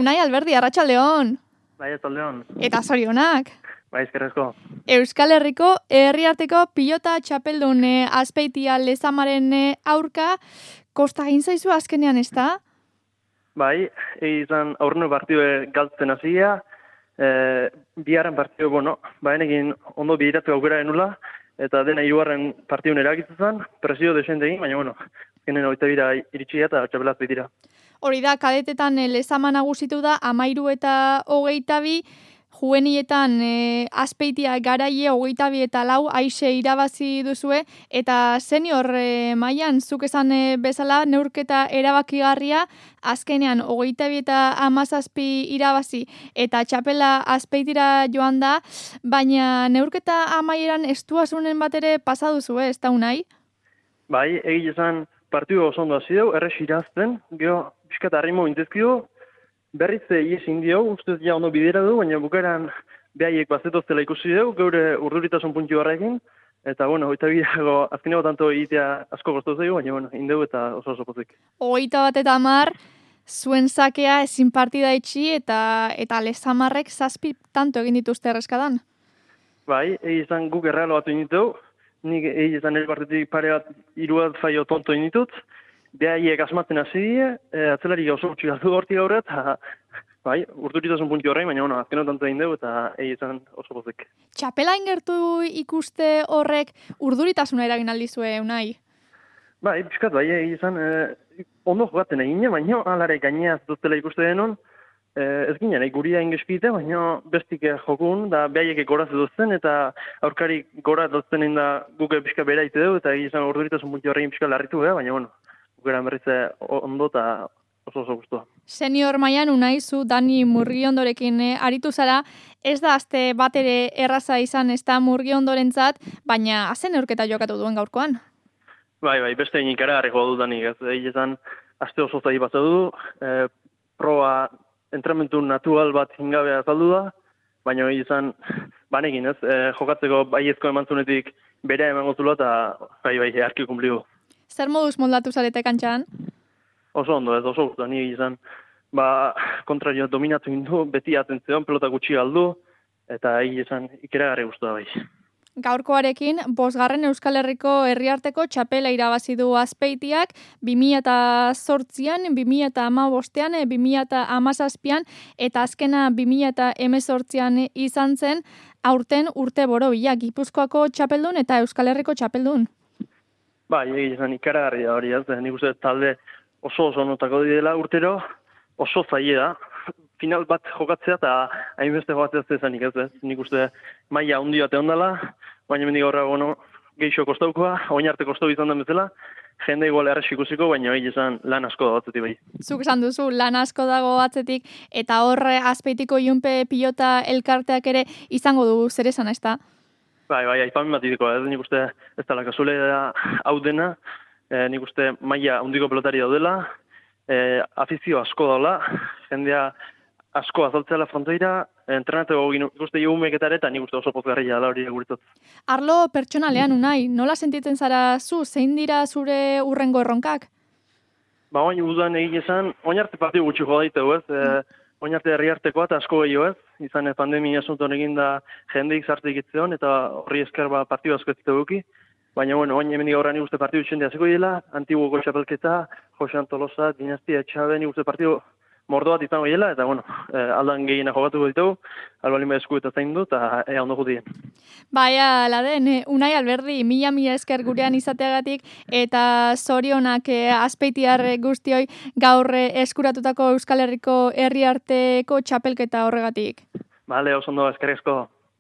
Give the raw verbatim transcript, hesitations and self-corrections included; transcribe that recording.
Unai Alberdi, arratsaldeon. Bai, arratsaldeon. Eta zorionak. Bai, eskerrezko. Euskal Herriko herriarteko pilota txapeldun e, Azpeitia Lezamaren e, aurka kosta egin zaizu azkenean, ez da? Bai, izan aurreno partidue galtzen hasia, e, biharren partidu, bueno, baenekin ondo bideratzeko aukera genula, eta dena hirugarren partidun eragitzen zen, presio desente egin, baina, bueno, azkenen hogeita bira iritsi eta txapelaz dira. Hori da, kadetetan e, Lezama nagusitu da, amairu eta hogeita bi, juvenietan e, Azpeitia garaie hogeita bi eta lau aixe irabazi duzue, eta senior e, mailan zuk esan e, bezala neurketa erabakigarria, azkenean hogeita bi eta hamazazpi irabazi eta txapela Azpeitira joan da, baina neurketa amaieran estuasunen bat ere pasa duzue, ez da Unai? Bai, egile esan partidu oso ondo hasi dugu, errex irazten, gero pixkat harrimo intezkio, berriz ies indio, ustez ja ondo bidera du, baina bukaeran behaiek bazetoztela ikusi dugu, geure urduritasun puntu horrekin, eta, bueno, hogeita bidago azkeneko tanto egitea asko goztu zaigu, baina, bueno, indegu eta oso oso pozik. Hogeita bat eta hamar, zuen sakea ezin partida itxi, eta eta Lezamarrek zazpi tanto egin dituzte erreskadan. Bai, egi izan guk errealo batu initu, nik egi izan ere partitik pare bat iruat faio tonto initut, behaiek asmatzen hasi die, e, atzelari gauzo gutxi galdu hortik gaur, eta bai, urduritasun puntu horrein, baina, bueno, azkeno tanto egin dugu, eta egi izan oso pozik. Txapela ingertu ikuste horrek urduritasuna eragin aldizue, Unai? Bai, pixkat, bai, egi izan, e, ondo jogaten egin, baina alare gaineaz duztela ikuste denon, e, ez ginen, e, guria ingeskite, baina bestik jokun, da behaiek goraz duzten, eta aurkari goraz duzten egin da guke pixka bera ite dugu, eta egi izan urduritasun puntu horrein pixka larritu, eh? Baina, bueno, gukeran berritze ondo eta oso oso guztua. Senior mailan Unai, zu Dani Murgiondorekin eh, aritu zara, ez da azte bat ere erraza izan ez da Murgiondorentzat, baina azen neurketa jokatu duen gaurkoan. Bai, bai, beste egin ikaragarriko du Danik, ez egin aste oso zai bat du, e, proa entramentu natural bat ingabea azaldu da, baina egin izan, banekin ez, e, jokatzeko baiezko emantzunetik bere emango zula eta bai, bai, earki kumpligu. Zer moduz moldatu zarete kantxan? Oso ondo, ez oso guztu, nire izan, ba, kontrario dominatu indu, beti atentzeon, pelota gutxi galdu, eta egin izan ikeragarri guztu da bai. Gaurkoarekin, bosgarren Euskal Herriko herriarteko txapela irabazi du Azpeitiak, bi mila eta zortzian, bi mila eta hamabostean, bi mila eta hamazazpian, eta azkena bi mila eta hemezortzian izan zen, aurten urte borobila, Gipuzkoako txapeldun eta Euskal Herriko txapeldun. Bai, egin izan ikaragarri da hori, ez, nik uste talde oso oso notako dira urtero, oso zaie da, final bat jokatzea eta hainbeste jokatzea zezanik ez, ez, nik uste maila handi bat egon dela, baina mendik horra, bueno, geixo kostaukoa, oin arte kostau izan den bezala, jende igual errez ikusiko, baina egin izan lan asko da batzetik bai. Zuk esan duzu, lan asko dago batzetik, eta horre Azpeitiko Ilunpe pilota elkarteak ere izango du zer esan, ez da? Bai, bai, aipamen bat idiko, ez, nik uste ez dela kasule hau dena, e, nik uste maila handiko pelotari daudela, e, afizio asko daula, jendea asko azaltzea frontoira, entrenateko ikuste jugumeketare eta nik uste oso pozgarria dela hori guretzat. Arlo pertsonalean, Unai, nola sentitzen zara zu, zein dira zure urrengo erronkak? Ba, oin udan egin esan, oin arte partidu gutxi joda ditu, ez, e, oin arte herriartekoa eta asko gehiago ez, izan pandemia asuntoan egin da jendeik zartik itzeon, eta horri esker ba, partidu asko ez duki. Baina, bueno, oin hemen gaurra nik uste partidu txende aziko dela, antiguoko txapelketa, Josean Tolosa, Dinastia Etxabe, nik uste partidu mordo bat izango dela, eta, bueno, eh, aldan gehiena jokatuko ditugu, albalin esku eta zain du, eta ea ondo jutien. Baina, laden, Unai Alberdi, mila mila esker gurean izateagatik, eta zorionak eh, Azpeitiar guztioi gaur eskuratutako Euskal Herriko herriarteko txapelketa horregatik. Bale, oso ondo, eskerrezko.